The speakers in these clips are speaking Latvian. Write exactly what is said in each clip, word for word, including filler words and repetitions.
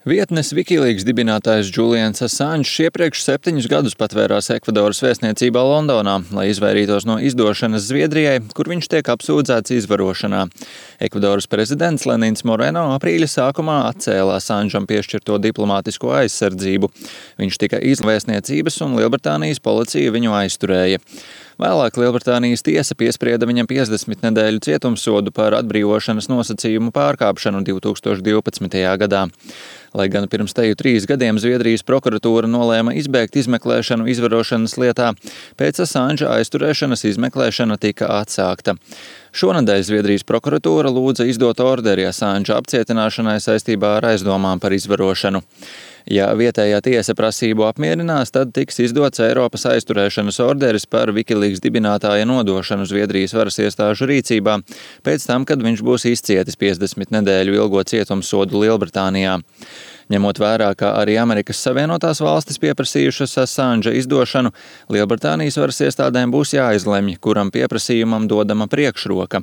Vietnes Wikileaks dibinātājs Julians Assange iepriekš septiņus gadus patvērās Ekvadoras vēstniecībā Londonā, lai izvairītos no izdošanas Zviedrijai, kur viņš tiek apsūdzēts izvarošanā. Ekvadoras prezidents Lenins Moreno aprīļa sākumā atcēla Assangeam piešķirto diplomātisko aizsardzību. Viņš tika izlaists vēstniecības un Lielbritānijas policija viņu aizturēja. Vēlāk Lielbritānijas tiesa piesprieda viņam piecdesmit nedēļu cietumsodu par atbrīvošanas nosacījumu pārkāpšanu divi tūkstoši divpadsmitajā gadā. Lai gan pirms teju trīs gadiem Zviedrijas prokuratūra nolēma izbēgt izmeklēšanu izvarošanas lietā, pēc Assange aizturēšanas izmeklēšana tika atsākta. Šonedēļ Zviedrijas prokuratūra lūdza izdot orderi Assange apcietināšanai saistībā ar aizdomām par izvarošanu. Ja vietējā tiesa prasību apmierinās, tad tiks izdots Eiropas aizturēšanas orderis par Wikileaks dibinātāja nodošanu Zviedrijas varas iestāžu rīcībā, pēc tam, kad viņš būs izcietis piecdesmit nedēļu ilgo cietumsodu Lielbritānijā. Ņemot vērā, ka arī Amerikas Savienotās valstis pieprasījušas Assange izdošanu, Lielbritānijas varas iestādēm būs jāizlemj, kuram pieprasījumam dodama priekšroka.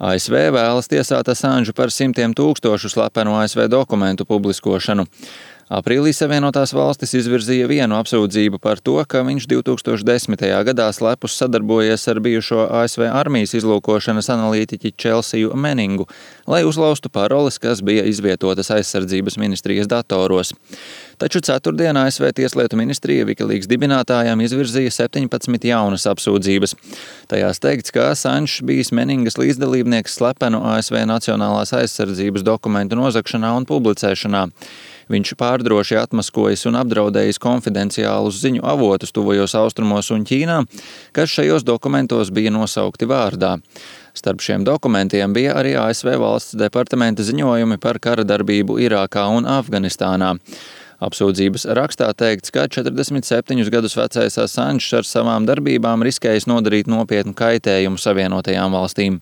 A S V vēlas tiesāt Assange par simtiem tūkstošu slepenu A S V dokumentu publiskošanu. Aprīlī Savienotās valstis izvirzīja vienu apsūdzību par to, ka viņš divi tūkstoši desmitajā gadā slepus sadarbojies ar bijušo A S V armijas izlūkošanas analītiķi Chelsiju Meningu, lai uzlaustu paroles, kas bija izvietotas aizsardzības ministrijas datoros. Taču ceturtdien A S V Tieslietu ministrija Wikileaks dibinātājām izvirzīja septiņpadsmit jaunas apsūdzības. Tajās teikts, ka Assange bijis Meningas līdzdalībnieks slepenu A S V nacionālās aizsardzības dokumentu nozagšanā un publicēšanā. Viņš pārdroši atmaskojis un apdraudējis konfidenciālus ziņu avotus tuvajos austrumos un Ķīnā, kas šajos dokumentos bija nosaukti vārdā. Starp šiem dokumentiem bija arī A S V valsts departamenta ziņojumi par kara darbību Irākā un Afganistānā. Apsūdzības rakstā teikts, ka četrdesmit septiņus gadus vecais Assange ar savām darbībām riskējis nodarīt nopietnu kaitējumu Savienotajām valstīm.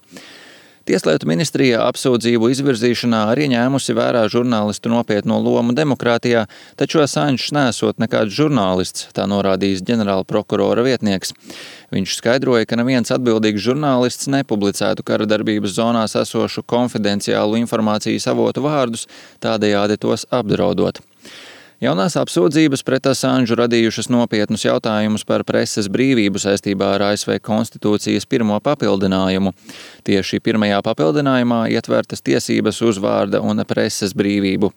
Tieslietu ministrija apsūdzību izvirzīšanā arī ņēmusi vērā žurnālistu nopietno lomu demokrātijā, taču Assange nesot nekāds žurnālists, tā norādījis ģenerāla prokurora vietnieks. Viņš skaidroja, ka neviens atbildīgs žurnālists nepublicētu kara darbības zonās esošu konfidenciālu informācijas avotu vārdus, tādējādi tos apdraudot. Jaunās apsūdzības pret Assange radījušas nopietnus jautājumus par preses brīvību saistībā ar A S V konstitūcijas pirmo papildinājumu. Tieši pirmajā papildinājumā ietvertas tiesības uz vārda un preses brīvību.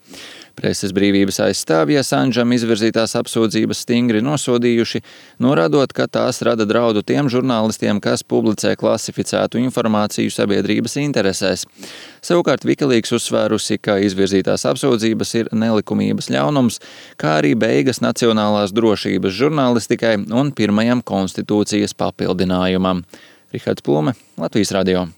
Preses brīvības aizstāvji Assangeam izvirzītās apsūdzības stingri nosodījuši, norādot, ka tās rada draudu tiem žurnālistiem, kas publicē klasificētu informāciju sabiedrības interesēs. Savukārt Wikileaks uzsvērusi, ka izvirzītās apsūdzības ir nelikumības ļaunums, kā arī beigas nacionālās drošības žurnālistikai un pirmajam konstitūcijas papildinājumam. Rihards Plume, Latvijas radio.